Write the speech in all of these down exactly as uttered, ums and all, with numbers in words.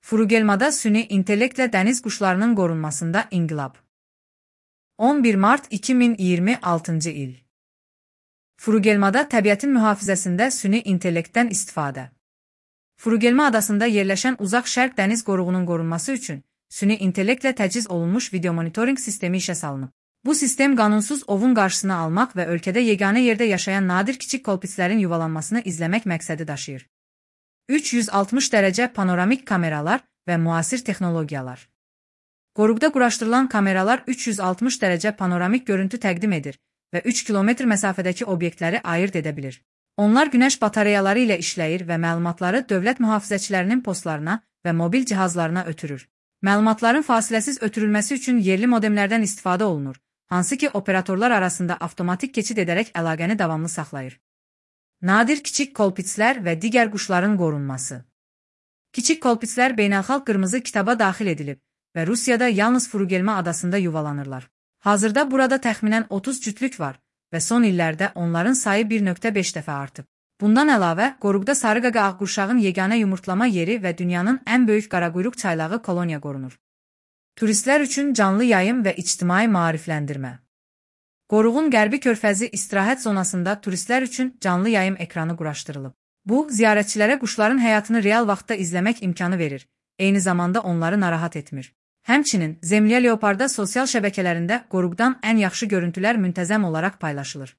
Furugelmada süni intellektlə dəniz quşlarının qorunmasında inqilab. on bir mart iki min iyirmi altıncı il. Furugelmada təbiətin mühafizəsində süni intellektdən istifadə. Furugelma adasında yerləşən uzaq şərq dəniz qoruğunun qorunması üçün süni intellektlə təchiz olunmuş video monitoring sistemi işə salınıb. Bu sistem qanunsuz ovun qarşısını almaq və ölkədə yeganə yerdə yaşayan nadir kiçik kolpitslərin yuvalanmasını izləmək məqsədi daşıyır. üç yüz altmış dərəcə panoramik kameralar və müasir texnologiyalar. Qoruqda quraşdırılan kameralar üç yüz altmış dərəcə panoramik görüntü təqdim edir və üç kilometr məsafədəki obyektləri ayırd edə bilir. Onlar günəş batareyaları ilə işləyir və məlumatları dövlət mühafizəçilərinin postlarına və mobil cihazlarına ötürür. Məlumatların fasiləsiz ötürülməsi üçün yerli modemlərdən istifadə olunur, hansı ki operatorlar arasında avtomatik keçid edərək əlaqəni davamlı saxlayır. Nadir kiçik kolpitslər və digər quşların qorunması. Kiçik kolpitslər beynəlxalq qırmızı kitaba daxil edilib və Rusiyada yalnız Furugelma adasında yuvalanırlar. Hazırda burada təxminən otuz cütlük var və son illərdə onların sayı bir nöqtə beş dəfə artıb. Bundan əlavə, qoruqda sarıqaqa ağqurşağın yeganə yumurtlama yeri və dünyanın ən böyük qaraquyruq çaylağı koloniya qorunur. Turistlər üçün canlı yayım və ictimai maarifləndirmə. Qoruğun qərbi körfəzi istirahət zonasında turistlər üçün canlı yayım ekranı quraşdırılıb. Bu, ziyarətçilərə quşların həyatını real vaxtda izləmək imkanı verir, eyni zamanda onları narahat etmir. Həmçinin, Zemlya Leoparda sosial şəbəkələrində qoruqdan ən yaxşı görüntülər müntəzəm olaraq paylaşılır.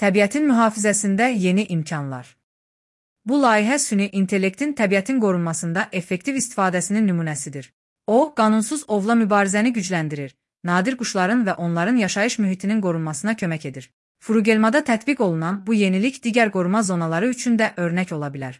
Təbiətin mühafizəsində yeni imkanlar. Bu layihə süni intellektin təbiətin qorunmasında effektiv istifadəsinin nümunəsidir. O, qanunsuz ovla mübarizəni gücləndirir, nadir quşların və onların yaşayış mühitinin qorunmasına kömək edir. Furugelmada tətbiq olunan bu yenilik digər qoruma zonaları üçün də örnək ola bilər.